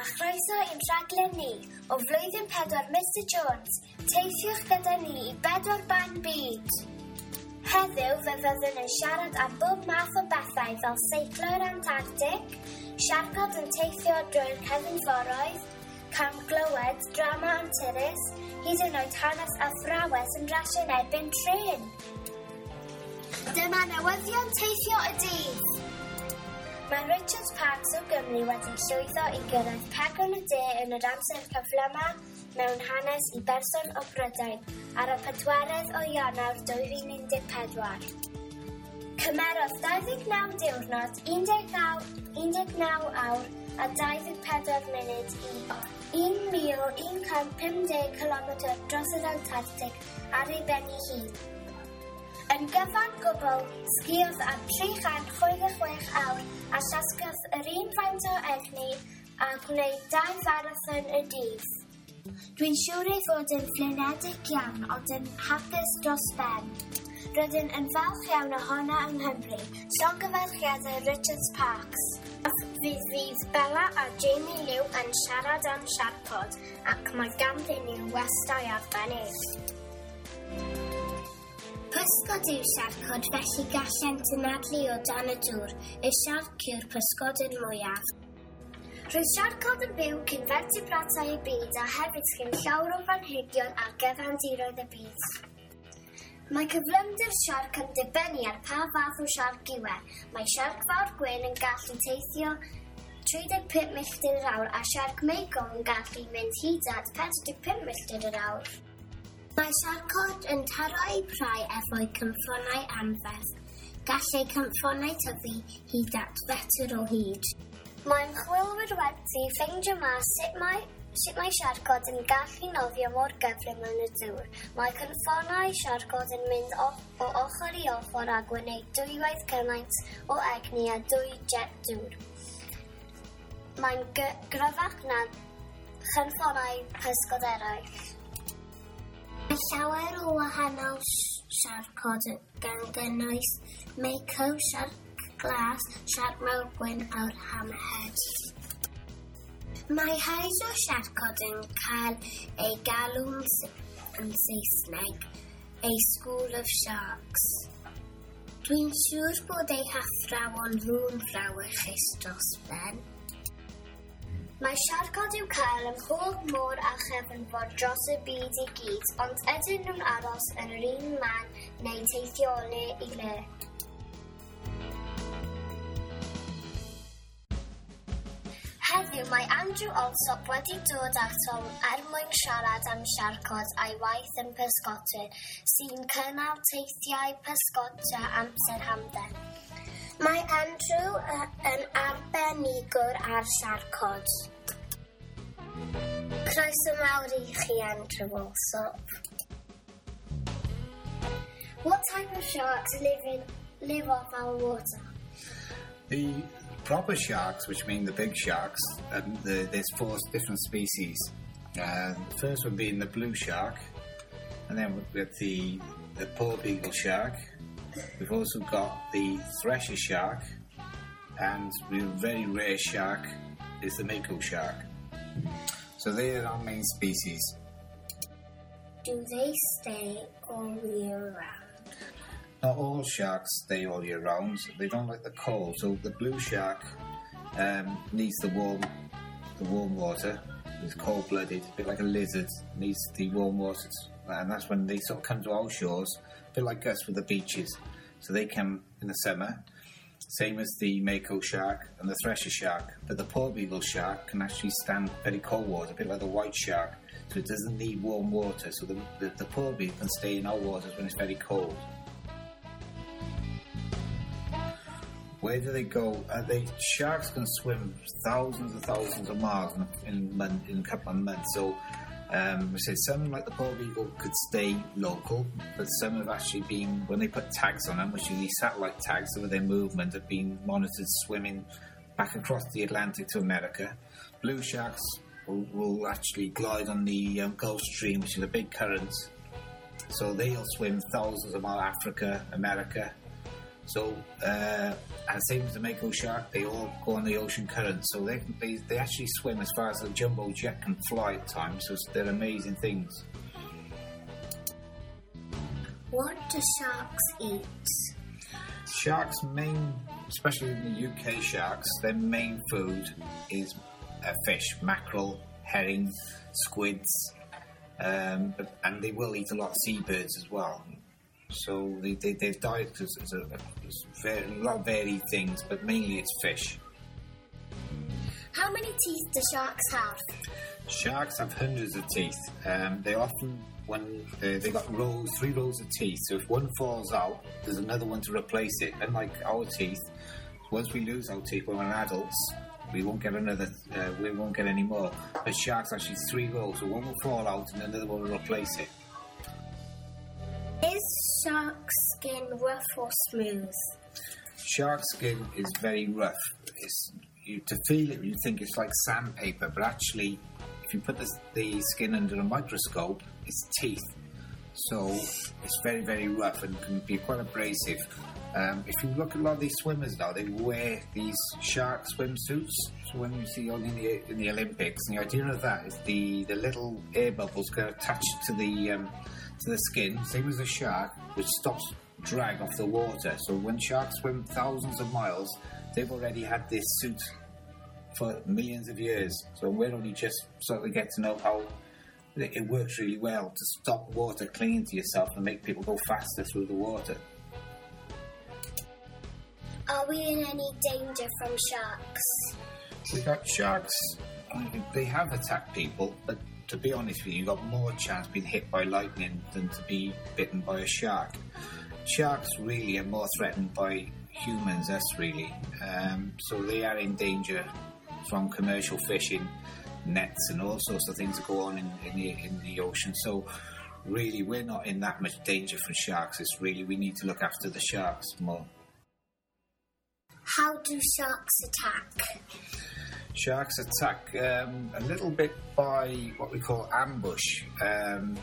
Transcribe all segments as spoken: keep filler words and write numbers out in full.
chroeso i'n rhaglen ni o flwyddyn pedwar Mister Jones. Teithiwch gyda ni i bedwar ban byd. Heddiw fe fyddwn yn siarad am bob math o bethau fel seiclo i'r Antarctic, siarcod yn teithio drwy'r cefnforoedd, cam glywed, drama anturus, hyd yn oed hanes athrawes yn rasio yn erbyn trên. Dyma newyddion teithio y dydd. Mae Richard Parks o Gymru wedi llwyddo i gyrraedd Pegwn y De yn yr amser cyflyma mewn hanes i berson o Brydain ar y pedwerydd o Ionawr dwy fil un deg pedwar. Cymerodd dau ddeg naw diwrnod, un deg naw, un deg naw awr a dau ddeg pedwar munud i un mil un cant pum deg kilometr dros yr Antarctic ar ei ben ei hun. Yn gyfan gwbl, sgiodd am tri chant chwe deg chwech awr a llasgodd yr un faint o egni a gwneud dau farathon y dydd. Dwi'n siŵr ei fod yn flinedig iawn ond yn hapus dros ben. Rydyn yn falch iawn ohono yng Nghymru. Llongyfarchiadau Richard Parks. Fydd fydd Bella a Jamie Liw yn siarad am siarcod ac mae ganddyn nhw westai arbennig. Pysgod yw siarcod, felly gallent anadlu o dan y dŵr. Y siarc yw'r pysgodyn mwyaf. Roedd siarcod yn byw cyn fertebratau y byd a hefyd cyn llawer o blanhigion ar gyfandiroedd y byd. Mae cyflymder siarc yn dibynnu ar pa fath o siarc yw e. Mae siarc fawr gwyn yn gallu teithio tri deg pump milltir yr awr a siarc Mako yn gallu mynd hyd at pedwar deg pump milltir yr awr. Mae siarcod yn taro eu prau efo'u cynffonnau anferth. Gall eu cynffonnau tyfu hyd at fetr o hyd. Mae ymchwilwyr wedi ffeindio mas sut mae, sut mae siarcod yn gallu nofio mor gyflym yn y dŵr. Mae cynffonnau siarcod yn mynd o, o ochr i ochr a gwneud dwywaith cymaint o egni a dwy jet dŵr. Mae'n gryfach na chynffonnau pysgod eraill. Mae llawer o wahanol siarcod gan gynnwys Mako, siarc glas, siarc mawr gwyn a'r hammerhead. Mae haid o siarcod yn cael ei galw'n yn Saesneg a School of Sharks. Dwi'n siŵr bod eu hathrawon nhw'n frawychus dros ben. Mae siarcod i'w cael ym mhob môr a chefnfor dros y byd i gyd, ond ydyn nhw'n aros yn yr un man neu teithio o le i le. Heddiw mae Andrew Alsop wedi dod atom er mwyn siarad am siarcod a'i waith yn pysgota sy'n cynnal teithiau pysgota amser hamdden. Mae Andrew yn arbenigwr ar siarcod. Croeso mawr i chi, Andrew Alsop. What type of sharks live in, live off our water? The proper sharks, which mean the big sharks, um, the, there's four different species. Uh, the first one being the blue shark, and then with the, the porbeagle shark. We've also got the thresher shark, and the very rare shark is the mako shark. So they are our main species. Do they stay all year round? Not all sharks stay all year round. They don't like the cold. So the blue shark, um, needs the warm, the warm water. It's cold-blooded, a bit like a lizard, needs the warm water, and that's when they sort of come to our shores, a bit like us with the beaches. So they come in the summer, same as the mako shark and the thresher shark. But the porbeagle shark can actually stand very cold water, a bit like the white shark, so it doesn't need warm water. So the, the, the porbeagle can stay in our waters when it's very cold. Where do they go? Uh, they sharks can swim thousands and thousands of miles in, in, in a couple of months. So um, we say some, like the porbeagle, could stay local, but some have actually been, when they put tags on them, which are these satellite tags over their movement, have been monitored swimming back across the Atlantic to America. Blue sharks will, will actually glide on the um, Gulf Stream, which is a big current. So they'll swim thousands of miles, Africa, America. So, uh, and same as the mako shark, they all go on the ocean current. So they, they, they actually swim as far as the jumbo jet can fly at times. So they're amazing things. What do sharks eat? Sharks' main, especially in the U K sharks, their main food is uh, fish, mackerel, herring, squids, um, but, and they will eat a lot of seabirds as well. So they, they, their diet is, is a, is very, a lot of varied things, but mainly it's fish. How many teeth do sharks have? Sharks have hundreds of teeth. Um, they often, when they, they got rows, three rows of teeth. So if one falls out, there's another one to replace it. Unlike our teeth, once we lose our teeth when we're adults, we won't get another. Uh, we won't get any more. But sharks actually three rows, so one will fall out and another one will replace it. Is shark skin rough or smooth? Shark skin is very rough. It's, you, to feel it, you think it's like sandpaper, but actually, if you put the, the skin under a microscope, it's teeth. So it's very, very rough and can be quite abrasive. Um, if you look at a lot of these swimmers now, they wear these shark swimsuits. So when you see on in the in the Olympics, and the idea of that is the, the little air bubbles get attached to the um, to the skin, same as a shark, which stops drag off the water. So when sharks swim thousands of miles, they've already had this suit for millions of years. So we're only just sort of get to know how it works really well to stop water clinging to yourself and make people go faster through the water. Are we in any danger from sharks? We've got sharks, they have attacked people, but to be honest with you, you've got more chance of being hit by lightning than to be bitten by a shark. Sharks really are more threatened by humans, us really. Um, so they are in danger from commercial fishing, nets and all sorts of things that go on in, in, the, in the ocean. So really, we're not in that much danger from sharks. It's really, we need to look after the sharks more. How do sharks attack? Sharks attack um, a little bit by what we call ambush. Um,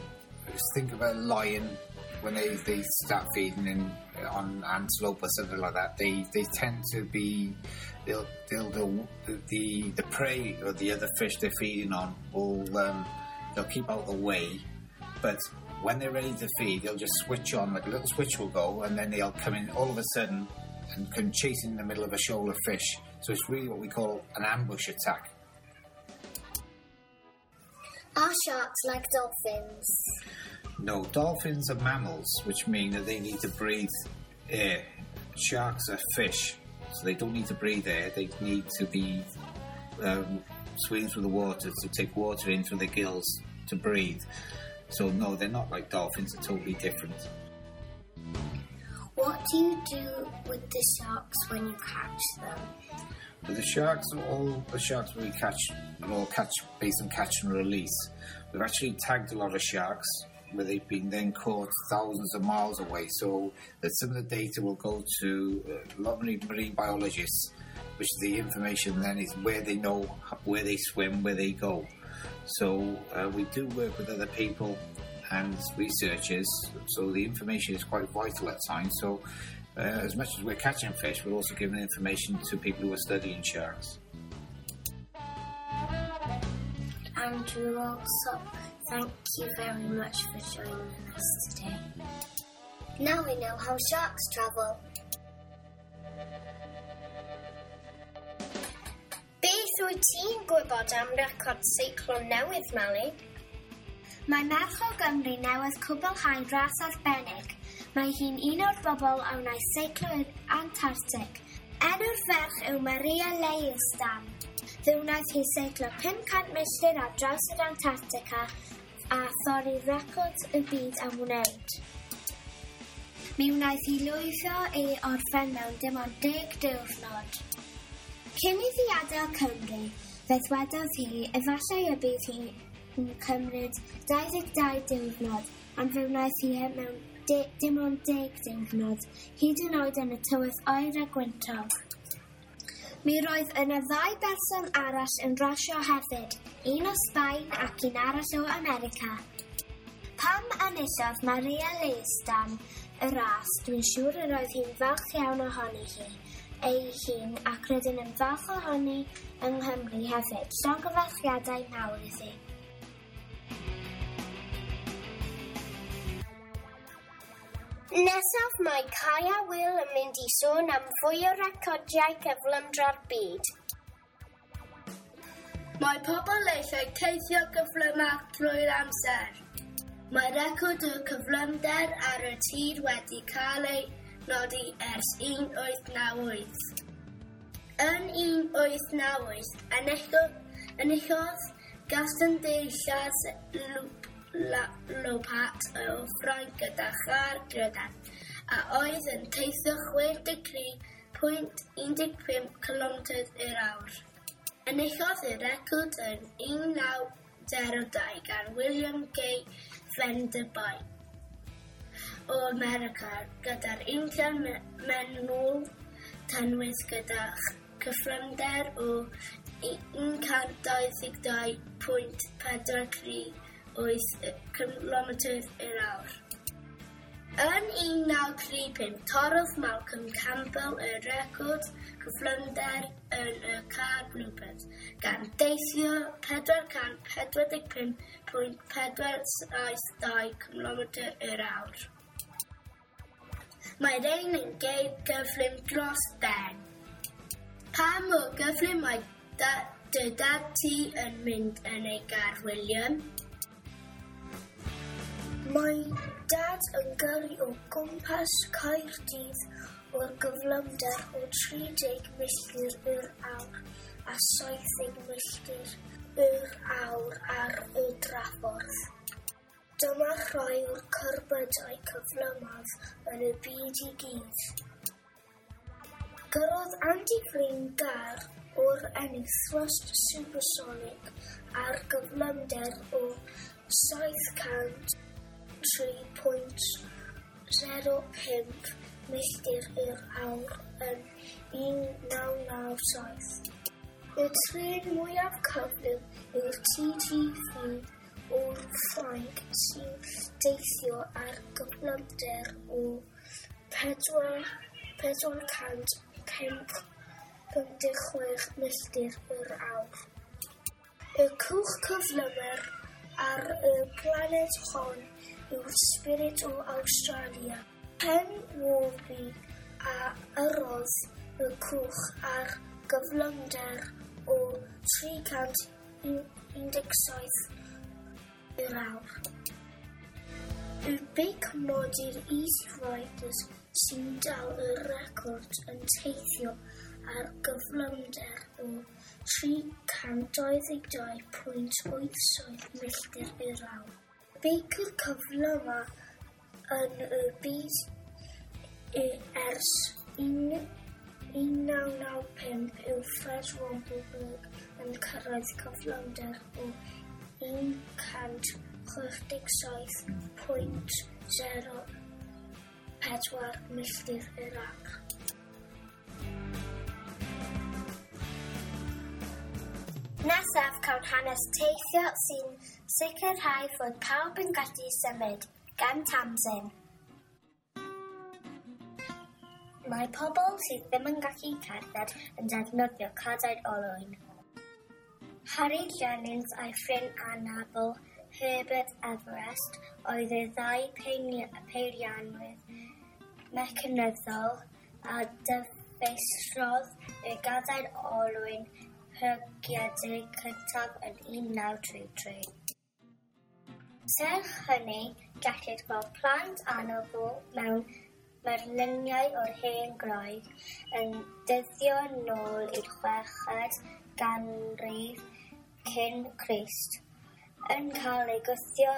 just think of a lion when they, they start feeding in, on antelope or something like that. They they tend to be they'll they'll, they'll the the prey or the other fish they're feeding on will um, they'll keep out of the way, but when they're ready to feed, they'll just switch on, like a little switch will go, and then they'll come in all of a sudden and can chase in the middle of a shoal of fish. So it's really what we call an ambush attack. Are sharks like dolphins? No, dolphins are mammals, which mean that they need to breathe air. Sharks are fish, so they don't need to breathe air. They need to be um, swimming through the water to take water in through their gills to breathe. So no, they're not like dolphins. They're totally different. What do you do with the sharks when you catch them? But the sharks, all the sharks we catch, are all catch based on catch and release. We've actually tagged a lot of sharks where they've been then caught thousands of miles away. So that some of the data will go to a lot of marine biologists, which the information then is where they know where they swim, where they go. So uh, we do work with other people and researchers, so the information is quite vital at times. So uh, as much as we're catching fish, we're also giving information to people who are studying sharks. Andrew Allsopp, thank you very much for joining us today. Now we know how sharks travel. Beth wyt ti'n gwybod am record seiclo newydd, Mali? Mae merch o Gymru newydd cwblhau ras arbennig. Mae hi'n un o'r bobl a wnaeth seiclo i'r Antarctic. Enw'r ferch yw Maria Leijerstam. Fe wnaeth hi seiclo pum cant milltir ar draws yr Antarctica a thorri record y byd am wneud. Mi wnaeth hi lwyddo ei orffen mewn dim ond deg diwrnod. Cyn iddi adael Cymru, fe ddwedodd hi efallai y bydd hi'n cymryd dau ddeg dau diwrnod, ond fe wnaeth hi mewn de, dim ond deg diwrnod, hyd yn oed yn y tywydd oer a gwyntog. Mi roedd yna ddau berson arall yn rasio hefyd, un o Sbaen ac un arall o America. Pam enillodd Maria Leijerstam y ras, dwi'n siŵr yr oedd hi'n falch iawn ohoni hi ei hun ac rydyn yn falch ohoni yng Nghymru hefyd. Llongyfarchiadau mawr iddi. Nesaf mae Kai a Will yn mynd i sôn am fwy o recordiau cyflymdra'r byd. Mae pobl eisiau teithio gyflymach drwy'r amser. Mae record y cyflymder ar y tir wedi cael ei nodi ers un wyth naw wyth. Yn un wyth naw wyth, enillodd Gaston de Chasseloup-Laubat o Ffrainc gyda char drydan, a oedd yn teithio chwe deg tri pwynt un deg pump cilometr yr awr. Enillodd y record yn un naw zero dau gan William G. Vanderbilt o America gyda'r injan mewnol tanwydd gyda cyflymder o un cant dau ddeg dau pwynt pedwar tri wyth cilometr yr awr. Yn un naw tri pump torrodd Malcolm Campbell y record cyflymder yn y car Bluebird, gan deithio pedwar cant pedwar deg pump pwynt pedwar saith dau cilometr yr awr. Mae rhain yn geir gyflym dros ben. Pa mor gyflym mae da-, dy dad ti yn mynd yn ei gar, William? Mae dad yn gyrru o gwmpas Caerdydd o'r gyflymder o tri deg milltir yr awr a saith deg milltir yr awr ar y draffordd. Dyma rhai o'r cerbydau cyflymaf yn y byd i gyd. Gyrrodd Andy Green gar o'r enw Thrust Supersonic ar gyflymder o saith cant tri pwynt zero pump milltir yr awr yn un naw naw saith. Y trên mwyaf cyflym yw'r T G V o'r Ffrainc sy'n deithio ar gyflymder o pedwar, pedwar cant pump deg chwech milltir yr awr. Y cwch cyflymaf ar y blaned hon yw'r Spirit o Awstralia. Ken Warby a yrrodd y cwch ar gyflymder o tri cant un deg saith yr awr. Y beic modur Easy Riders sy'n dal y record yn teithio ar gyflymder o tri cant dau ddeg dau pwynt wyth saith milltir yr awr. Beicwyr cyflymaf yn y byd ers un naw naw pump yw Fred Rompelberg yn cyrraedd cyflymder o un cant chwech deg saith pwynt zero pedwar milltir yr awr. Nesaf cawn hanes teithio sy'n sicrhau fod pawb yn gallu symud, gan Tamsin. Mae pobl sydd ddim yn gallu cerdded yn defnyddio cadair olwyn. Harry Jennings a'i ffrind anabl Herbert Everest oedd y ddau peiriannydd mecanyddol a dyfeisiodd y gadair olwyn plygiedig cyntaf yn un naw tri tri. Serch hynny, gellir gweld plant anabl mewn murluniau o'r hen Groeg yn dyddio nôl i'r chweched ganrif cyn Crist, yn cael eu gwthio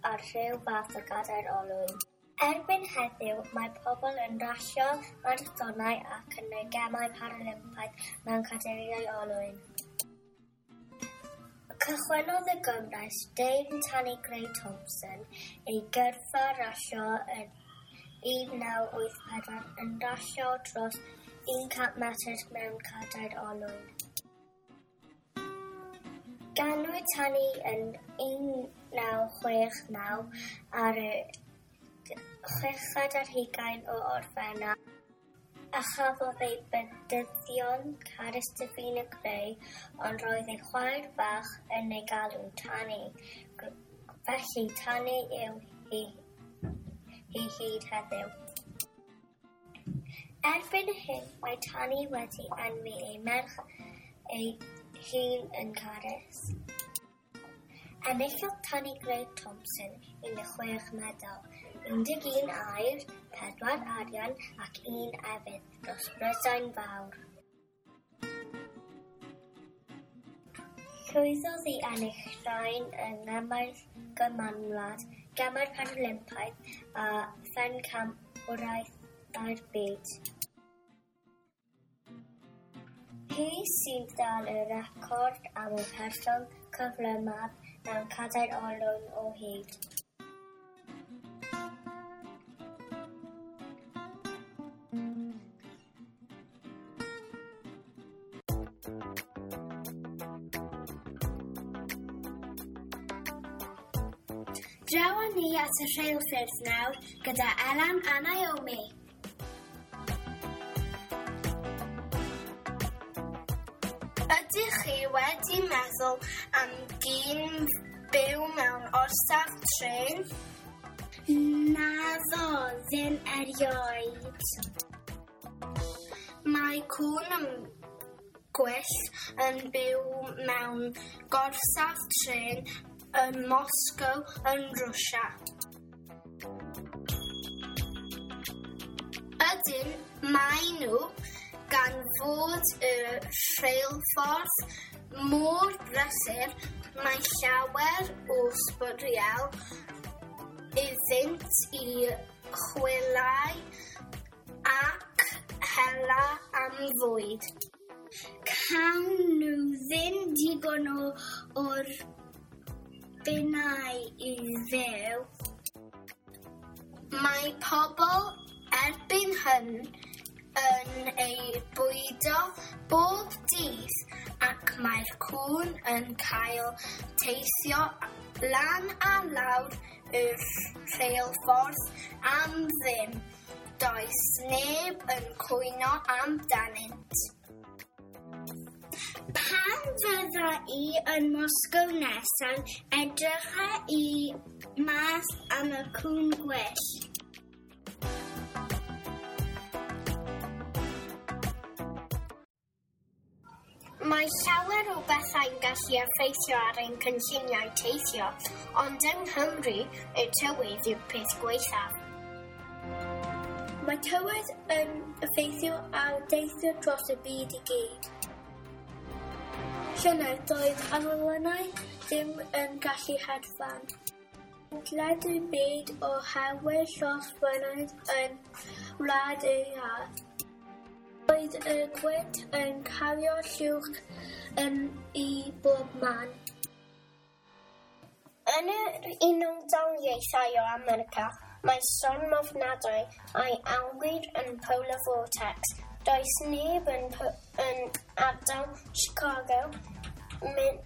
ar rhyw fath o gadair olwyn. Erbyn heddiw, mae pobl yn rasio marathonau ac yn y Gemau Paralympaidd mewn cadeiriau olwyn. Cychwynnodd y Gymraes Dame Tanni Grey-Thompson ei gyrfa rasio yn un naw wyth pedwar yn rasio dros un cant metr mewn cadair olwyn. Ganwyd Tanni yn un naw chwech naw ar y chweched ar hugain o Orffennaf a chafodd ei bedyddio'n Carys Davina Gray, ond roedd ei chwaer fach yn ei galw'n Tanni. Felly Tanni yw hi, hi hyd heddiw. Erbyn hyn, mae Tanni wedi enwi ei merch ei hun yn Carys. Enillodd Tanni Grey Thompson un deg chwech medal, un deg un aur, pedwar arian ac un efydd dros Brydain Fawr. Llwyddodd i ennill rhain yng Ngemau'r Gymanwlad, Gemau'r Paralympaidd a Phencampwriaethau'r Byd. Hi sy'n dal y record am y person cyflymaf mewn cadair olwyn o hyd. Draw â ni at y rheilffyrdd nawr gyda Elan a Naomi. Ydych chi wedi meddwl am gyn byw mewn orsaf trên? Naddo, ddim erioed. Mae cŵn yn gwyllt yn byw mewn gorsaf trên yn Moscow yn Rwsia. Ydyn, mae nhw, gan fod y rheilffordd mor brysur, mae llawer o sbwriel iddynt i chwilau ac hela am fwyd. Cawn nhw ddim digon o o'r bunnau i fyw. Mae pobl erbyn hyn yn ei bwydo bob dydd ac mae'r cŵn yn cael teithio lan a lawr y rheilffordd am ddim. Does neb yn cwyno amdanynt. Pan fydda i yn Moscow nesaf, edrycha i mas am y cŵn gwyllt. Mae llawer o bethau'n gallu effeithio ar ein cynlluniau teithio, ond yng Nghymru, y tywydd yw'r peth gwaethaf. Mae tywydd yn effeithio ar deithio dros y byd i gyd. Llynedd doedd awyrennau ddim yn gallu hedfan. Ledled y byd oherwydd llosgfynydd yn Wlad yr Iâ. Roedd y gwynt yn cario llwch yn i bob man. Yn yr Unol Daleithiau o America, mae storm ofnadwy a'i alwir yn Polar Vortex. Does neb yn, yn ardal Chicago, Min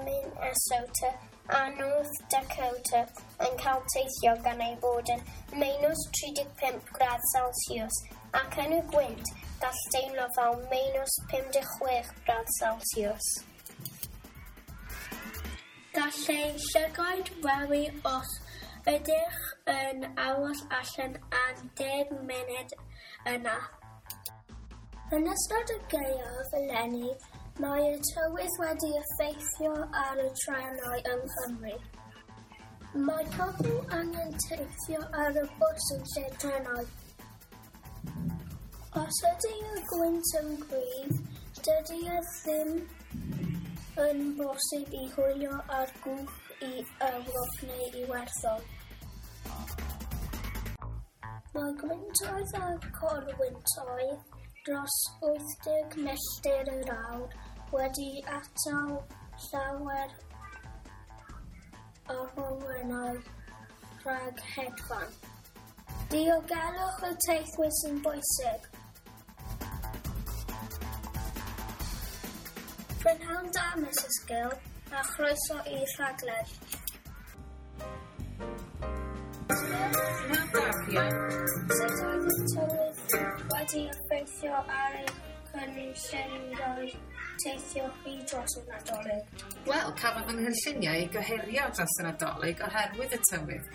Minnesota a North Dakota yn cael teithio gan ei bod yn minus tri deg pump gradd Celsius ac yn y gwynt gall deimlo fel minus pum deg chwech gradd Celsius. Gall ei llygaid rewi os ydych yn aros allan am deg munud yna. Yn ystod y gaeaf eleni, mae y tywydd wedi effeithio ar y trenau yng Nghymru. Mae pobl angen teithio ar y bws yn lle trenau. Os ydy y gwynt yn gryf, dydy e ddim yn bosib i hwylio ar gwch i Ewrop neu Iwerddon. Mae gwyntoedd a corwyntoedd dros wyth deg milltir yr awr wedi atal llawer o awyrennau rhag hedfan. Diogelwch y teithwyr sy'n bwysig. Prynhawn da, Missus Gill, a chroeso i'r rhaglen. Darian. Sut oedd y tywydd wedi effeithio ar eich cynlluniau teithio chi dros y Nadolig? Wel, cafodd fy nghynlluniau eu gohirio dros y Nadolig oherwydd y tywydd.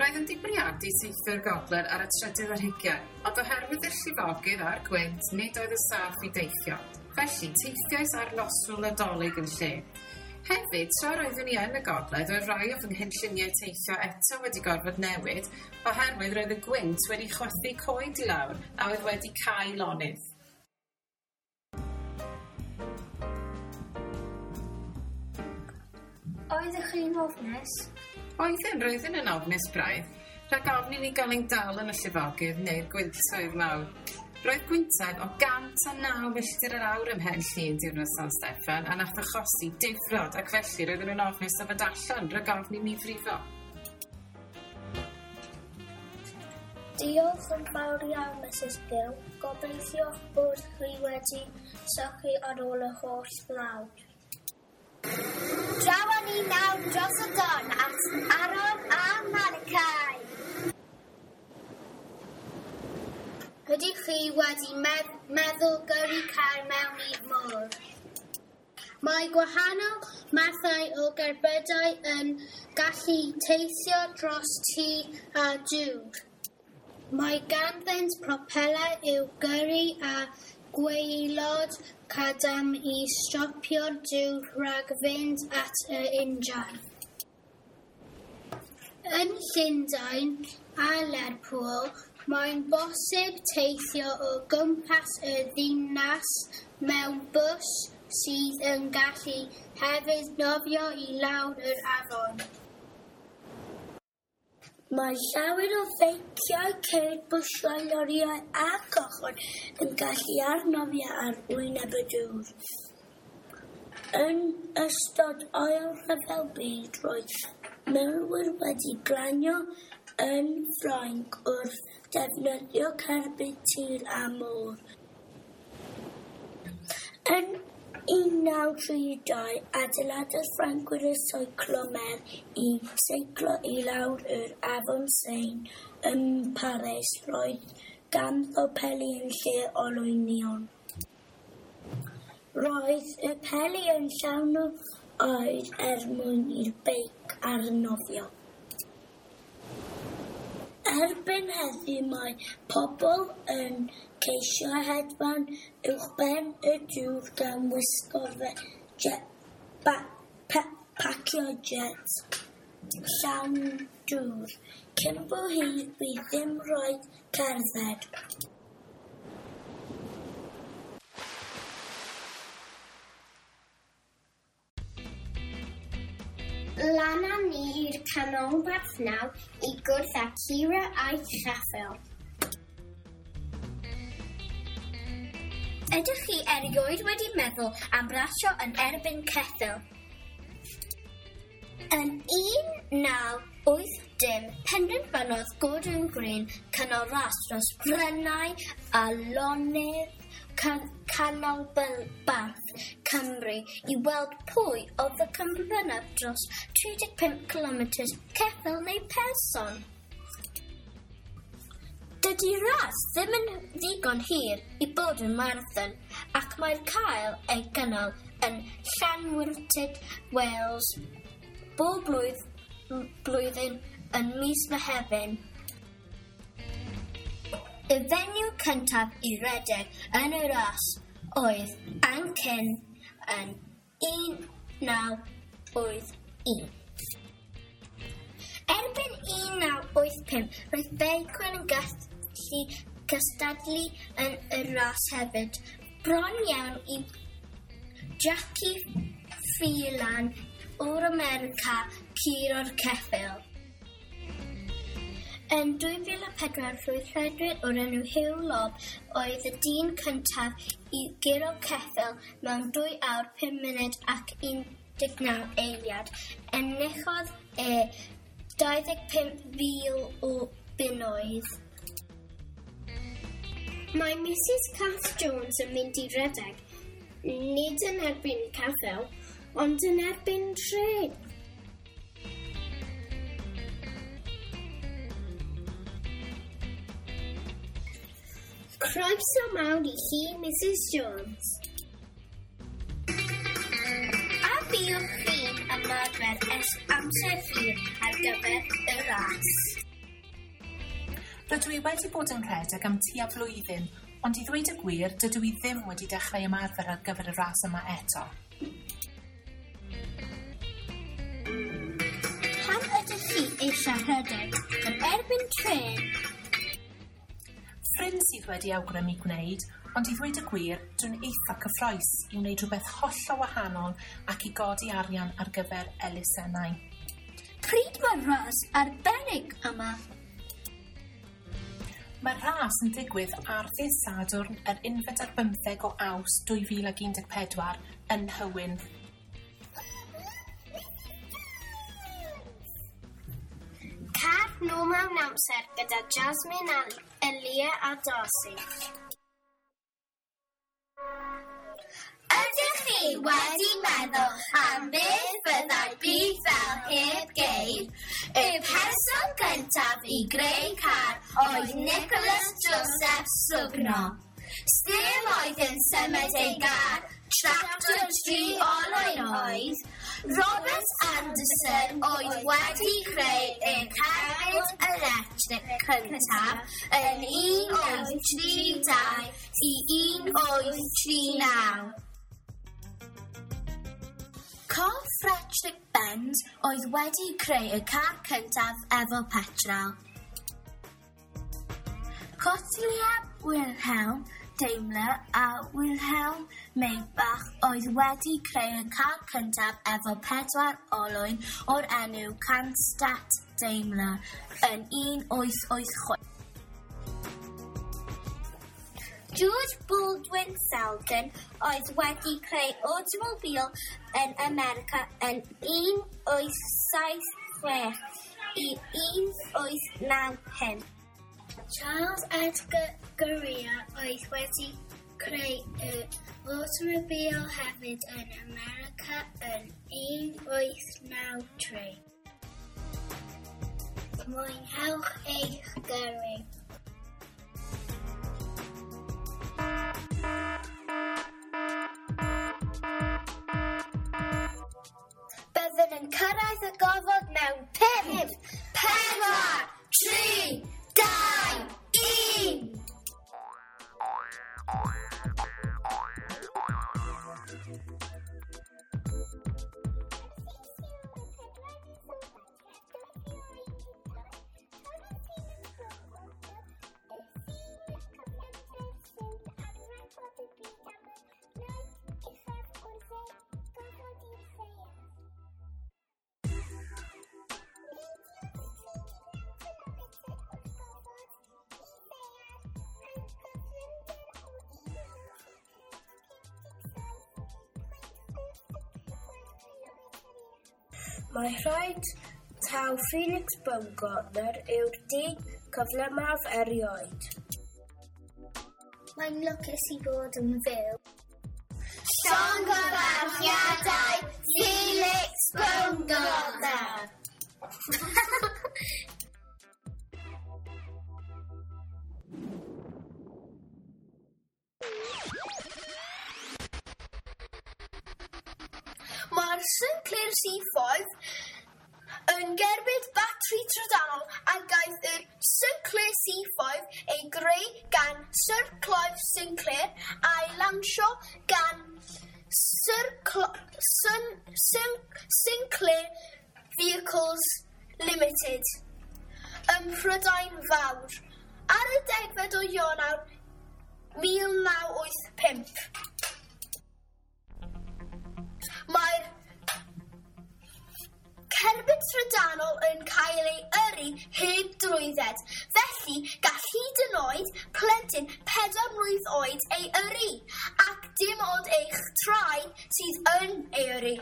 Roedd yn bwriadu teithio'r gogledd ar y trydydd ar hugain, ond oherwydd y llifogydd a'r gwynt, nid oedd y saff i deithio. Felly, teithiais ar noswyl Nadolig yn lle. Hefyd, tra roeddwn i yn y gogledd, roedd rhai o fy nghynlluniau teithio eto wedi gorfod newid oherwydd roedd y gwynt wedi chwythu coed i lawr a oedd wedi cau lonydd. Oeddech chi'n ofnus? Oeddwn, roeddwn yn ofnus braidd, rhag ofn i ni gael ein dal yn y llifogydd neu'r gwyntoedd mawr. Roedd gwyntoedd o gant a naw milltir yr awr ym Mhen Llŷn diwrnod San Steffan a nath achosi difrod ac felly roedden nhw'n ofnus o fod allan rhag ofn i ni frifo. Diolch yn fawr iawn, Missus Gill. Gobeithio bod chi wedi sychu ar ôl y holl glaw. Draw â ni nawr dros y don at Aaron a Malachi. Ydych chi wedi medd meddwl gyrru car mewn i'r môr? Mae gwahanol mathau o gerbydau yn gallu teithio dros tir a dŵr. Mae ganddynt propelau i'w gyrru a gwaelod cadarn i stopio'r dŵr rhag fynd at yr injan. Yn Llundain a Lerpwl, mae'n bosib teithio o gwmpas y ddinas mewn bws sydd yn gallu hefyd nofio i lawr yr afon. Mae llawer o feiciau, ceir, bysiau, lorïau a cochod yn gallu arnofio ar wyneb y dŵr. Yn ystod Ail Rhyfel Byd, roedd milwyr wedi glanio yn Ffrainc wrth defnyddio cerbyd tir a môr. Yn un naw tri dau, adeiladodd Ffrancwyr y Cyclomer i seiclo i lawr yr Afon Seine ym Paris. Roedd ganddo peli yn lle olwynion. Roedd y peli yn llawn o aer er mwyn i'r beic arnofio. Erbyn heddiw mae pobl yn ceisio hedfan uwchben y dŵr gan wisgo'r jet, ba, pe, pacio jet llawn dŵr. Cyn bo hir bydd ddim rhaid cerdded. Lan â ni i'r canolbarth nawr i gwrdd â Cira a'i cheffyl. Ydych chi erioed wedi meddwl am rasio yn erbyn ceffyl? Yn un naw wyth dim, penderfynodd Gordon Green cynnal ras dros bryniau a lonydd canolbarth Cymru i weld pwy oedd y cyflymaf dros tri deg pump cilometr ceffyl neu person. Dydy ras ddim yn ddigon hir i bod yn marathon ac mae'n cael ei gynnal yn Llanwrtyd, Wales bob blwydd, blwyddyn yn mis Mehefin. Y fenyw cyntaf i redeg yn y ras oedd Ann Ken yn un naw wyth un. Erbyn un naw wyth pump, roedd beicwyr yn gallu cystadlu yn y ras hefyd, bron iawn i Jackie Phelan o'r America curo'r ceffyl. Yn dwy fil a pedwar, roedd rhedwyr o'r enw Huw Lobb oedd y dyn cyntaf i guro ceffyl mewn dwy awr pum munud ac un deg naw eiliad. Enillodd e dau ddeg pump fil o bunnoedd. Mae Missus Cath Jones yn mynd i redeg, nid yn erbyn ceffyl, ond yn erbyn trên. Croeso mawr i chi, Mrs Jones. A fuoch chi'n ymarfer ers amser hir ar gyfer y ras? Rydw i wedi bod yn rhedeg am tua flwyddyn, ond i ddweud y gwir, dydw i ddim wedi dechrau ymarfer ar gyfer y ras yma eto. Pam ydych chi eisiau rhedeg yn erbyn trên? Ffrind sydd wedi awgrymu gwneud, ond i ddweud y gwir, dwi'n eitha cyffrous i wneud rhywbeth hollol wahanol ac i godi arian ar gyfer elusennau. Pryd mae'r ras arbennig yma? Mae'r ras yn digwydd ar ddydd Sadwrn yr unfed ar bymtheg o Awst dwy fil ac un deg pedwar yn Nhywyn. Car nôl mewn amser gyda Jasmine, Elia a Darcy. Ydych chi wedi meddwl am beth fyddai byd fel heb geir? Y person cyntaf i greu car oedd Nicholas Joseph Sugno. Stêm oedd yn symud ei gar, tractor tri olwyn oedd. Robert Anderson oedd wedi creu y cerbyd electric cyntaf yn un wyth tri dau i un wyth tri naw. Carl Frederick Benz oedd wedi creu y car cyntaf efo petrol. Gottlieb Wilhelm Daimler a Wilhelm Maybach oedd wedi creu y car cyntaf efo pedwar olwyn o'r enw Cannstatt Daimler yn un wyth wyth chwech. George Baldwin Selden oedd wedi creu automobile yn America yn un wyth saith chwech i un wyth naw pump. Charles Edgar Ghurrier oedd wedi creu y automobile hefyd yn America yn un wyth naw tri. Mwynhewch eich gyrru. Byddwn yn cyrraedd y gofod mewn pump, pedwar, tri, dau, un! Mae rhaid taw Felix Baumgartner yw'r dyn cyflymaf erioed. Mae'n lwcus i fod yn fyw. Llongyfarchiadau Felix Baumgartner! Mae'r Sinclair C five yn gerbyd batri trydanol a gaeth yr Sinclair C five ei greu gan Sir Clive Sinclair a'i lansio gan Sir Cl- Sin-, Sin-, Sinclair Vehicles Limited ym Mhrydain Fawr ar y degfed o Ionawr mil naw wyth pump. Mae'r cerbyd trydanol yn cael ei yrru heb drwydded, felly gall hyd yn oed plentyn pedair mlwydd oed ei yrru, ac dim ond eich traed sydd yn ei yrru.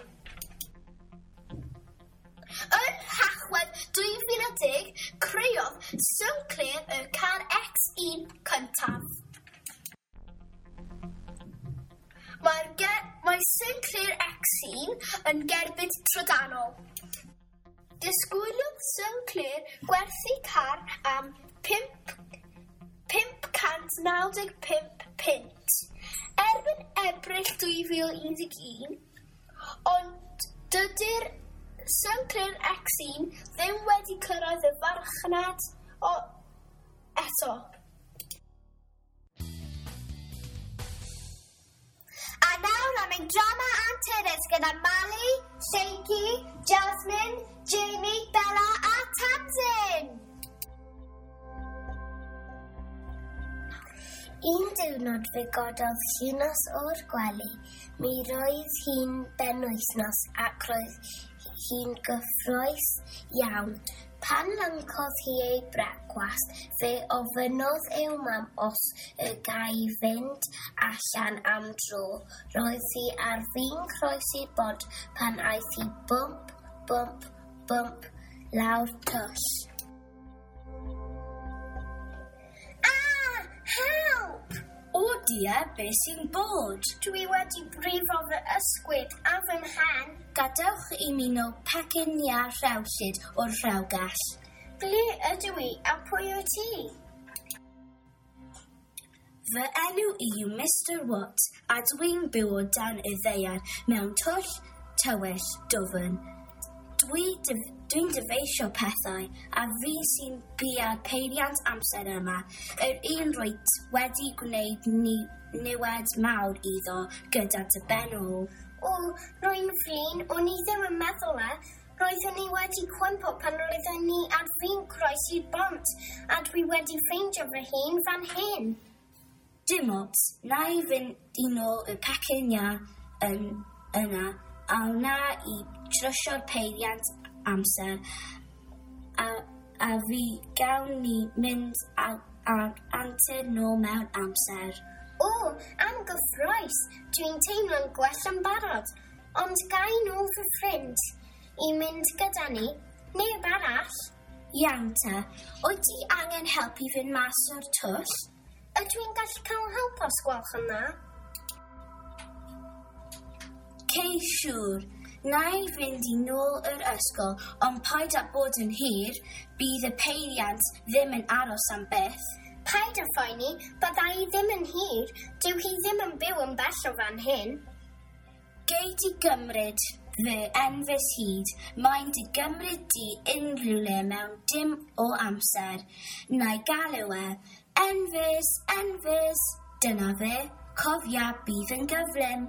Yn Nhachwedd dwy fil a deg, creodd Sinclair y car X un cyntaf. Mae'r ge-, mae Sinclair X un yn gerbyd trydanol. Disgwyliodd Sinclair gwerthu car am pump pump cant naw deg pump punt erbyn Ebrill dwy fil un deg un, ond dydy'r Sinclair X un ddim wedi cyrraedd y farchnad o eto. A nawr am ein drama anturus gyda Mali, Lleucu, Jasmine, Jamie, Bella a Tamsin. Un diwrnod fe gododd Llinos o'r gwely. Mi roedd hi'n benwythnos ac roedd hi'n gyffrous iawn. Pan lyncodd hi ei brecwast, fe ofynnodd i'w mam os y gai fynd allan am dro. Roedd hi ar fin croesi'r bont pan aeth hi bwmp, bwmp, bwmp lawr twll. Ah! Help! O dear, beth sy'n bod? Dwi wedi brifo fy ysgwydd a fy mhen. Gadewch i mi nôl pecyn iâ rhewllyd o'r rhewgell. Ble ydw i a pwy wyt ti? Fy enw i yw Mister Watt a dwi'n byw o dan y ddaear mewn twll tywyll dwfn. Dwi dyf- dwi'n dyfeisio pethau a fi sy'n bia'r peiriant amser yma, yr un rwyt wedi gwneud ni niwed mawr iddo gyda dy ben ôl. O, rwy'n flin, o'n i ddim yn meddwl e. Roeddwn i wedi cwympo pan roeddwn ni ar fin croesi'r bont a dwi wedi ffeindio fy hun fan hyn. Dim ots, na i fynd i nôl y pecyn iâ yn yna a wna i trwsio'r peiriant amser a, a fi gawn ni mynd ar, ar antur nôl mewn amser. O, am gyffrous, dwi'n teimlo'n gwell yn barod, ond ga i nôl fy ffrind i mynd gyda ni, neb arall. Iawn te, wyt ti angen help i fynd mas o'r twll? Ydw i'n gallu cael help os gwelwch yn dda? Cei siŵr, na i fynd i nôl yr ysgol, ond paid â bod yn hir, bydd y peiriant ddim yn aros am byth. Paid â phoeni, bydda i ddim yn hir, dyw hi ddim yn byw yn bell o fan hyn. Gei di gymryd fy enfys hud, mae'n dy gymryd di unrhyw le mewn dim o amser. Na i galw e, enfys, enfys, dyna fe, cofia bydd yn gyflym.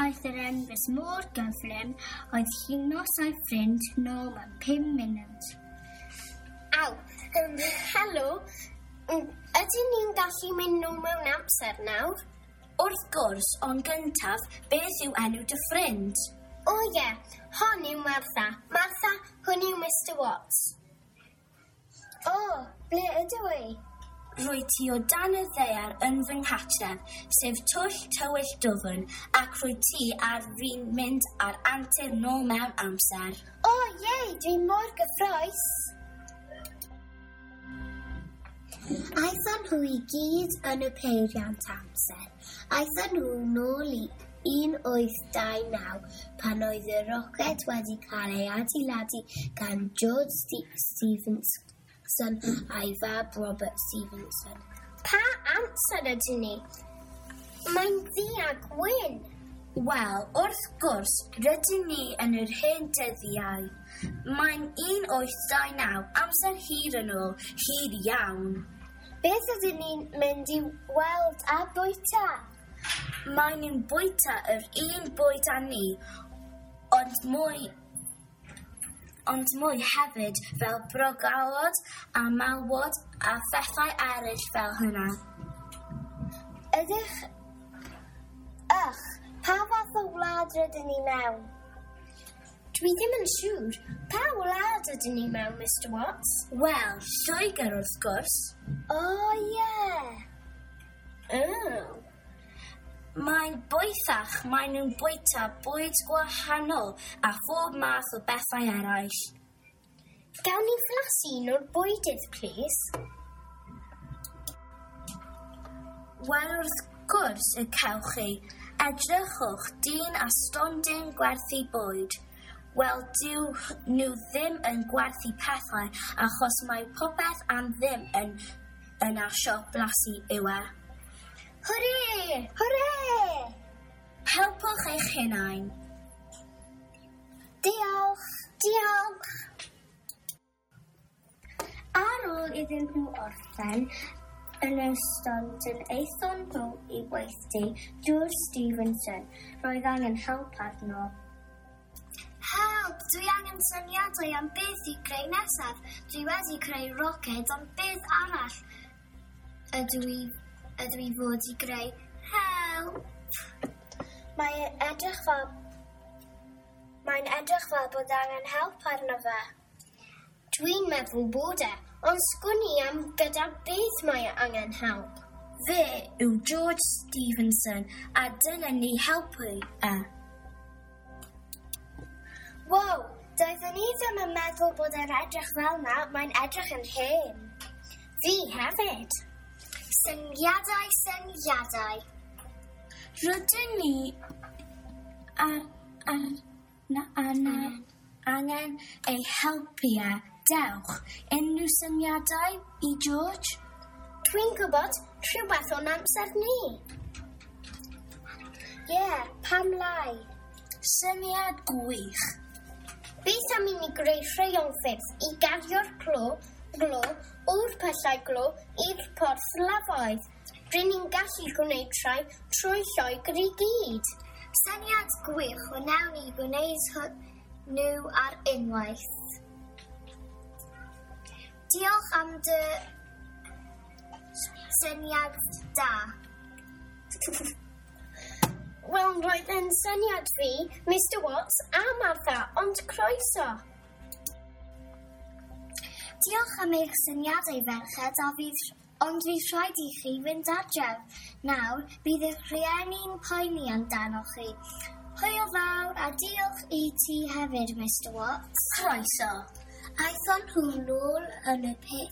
Aeth yr enfys mor gyflym oedd Llinos a'i ffrind nôl mewn pum munud. Aw, um, helo, ydyn ni'n gallu mynd nôl mewn amser nawr? Wrth gwrs, ond gyntaf, beth yw enw dy ffrind? O ie, hon yw Martha. Martha, hwn yw Mister Watts. O, ble ydw i? Rwy ti o dan y ddaear yn fy nghartref, sef twll tywyll dwfn, ac rwy ti ar fin mynd ar antur nôl mewn amser. O ie, dwi mor gyffrous. Aethon nhw i gyd yn y peiriant amser. Aethon nhw nôl i un wyth dau naw pan oedd y roced wedi cael ei adeiladu gan George Ste- Stephenson a'i fab Robert Stephenson. Pa amser ydyn ni? Mae'n ddu a gwyn. Wel, wrth gwrs, rydyn ni yn yr hen dyddiau. Mae'n un wyth dau naw, amser hir yn ôl, hir iawn. Beth ydyn ni'n mynd i weld a bwyta? Maen nhw'n bwyta yr un bwyd â ni, ond mwy, ond mwy hefyd fel brogalod a malwod a phethau eraill fel hynna. Ydych... Ych, pa fath o wlad rydyn ni mewn? Dwi ddim yn siŵr. Pa wlad ydyn ni mewn, Mister Watts? Wel, Lloegr wrth gwrs. O, ie. Oh. Mae'n bwythach, maen nhw'n bwyta bwyd gwahanol a phob math o bethau eraill. Gawn ni flasu un o'r bwydydd, plîs? Wel, wrth gwrs y cewch chi. Edrychwch, dyn a stondin gwerthu bwyd. Wel, dyw nhw ddim yn gwerthu pethau achos mae popeth am ddim yn, yn ar siop blasu yw e. Hwrê! Hwrê! Helpwch eich hunain. Diolch! Diolch! Ar ôl iddyn nhw orffen, yn y stondin aethon nhw i weithdy George Stevenson. Roedd angen help arno. Help! Dwi angen syniadau am beth i greu nesaf. Dwi wedi creu roced, ond beth arall ydw i, ydw i fod i greu? Help! Mae'n edrych fel, mae'n edrych fel bod angen help arno fe. Dwi'n meddwl bod e, ond sgwn i am gyda beth mae angen help. Fe yw George Stevenson a dylen ni helpu e. Wow, doeddwn i ddim yn meddwl bod e'n edrych fel 'na, mae'n edrych yn hen. Fi hefyd. Syniadau, syniadau. Rydyn ni ar, ar, na, ar, angen ei helpu e. Dewch, unrhyw syniadau i George? Dwi'n gwybod rhywbeth o'n amser ni. Ie, yeah, pam lai? Syniad gwych. Beth am i ni greu rheilffyrdd i gario'r clo, glo o'r pyllau glo i'r porthladdoedd? Rŷn ni'n gallu gwneud rhai trwy Lloegr i gyd. Syniad gwych, wnawn ni gwneud nhw ar unwaith. Diolch am dy syniad da. Wel, roedd yn syniad fi, Mister Watts a Martha, ond croeso. Diolch am eich syniadau, ferched, a fydd, ond fydd rhaid i chi fynd adref. Nawr, bydd eich rhieni'n poeni amdanoch chi. Hwyl fawr a diolch i ti hefyd, Mister Watts. Croeso. Aethon nhw nôl yn y, pe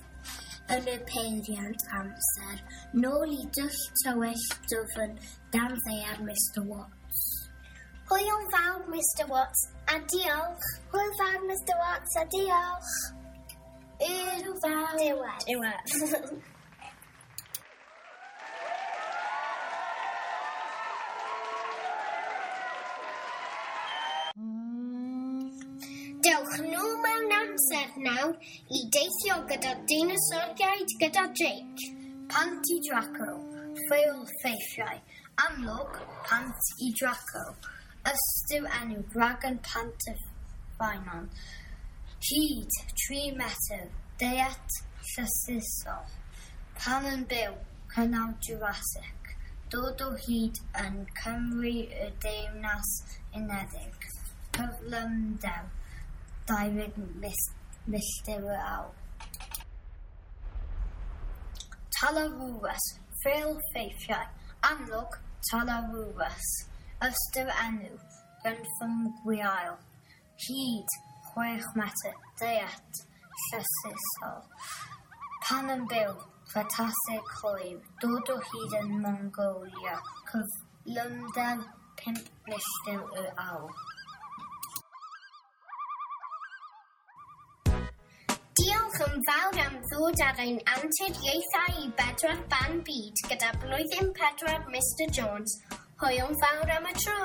yn y peiriant amser, nôl i dwll tywyll dwfn dan ddaear Mister Watts. Hwyl fawr, Mister Watts, a diolch. Hwyl fawr, Mister Watts, a diolch. Hwyl fawr. Diwedd. Diwedd. Dewch nôl mewn amser nawr i deithio gyda deinosoriaid gyda Jake. Pant i Draco, ffeil ffeithiau, amlwg Pant i Draco, ystyr enw Dragon Pant y Ffynnon, hyd tri metr, deiet llysysol, pan yn byw, cynnal Jurassic, dod o hyd yn Cymru y Deyrnas Unedig, cyflymder, dau ddeg milltir yr awr. Talarurus, ffeil ffeithiau, amlwg Talarurus, ystyr enw, gynffon gwiail, hyd chwech metr, deiet llysysol, pan yn byw, Cretaceous hoyw, dod o hyd yn Mongolia, cyflymder pump milltir yr awr. Diolch yn fawr am ddod ar ein anturiaethau i bedwar ban byd gyda blwyddyn pedwar Mister Jones. Hwyl fawr am y tro!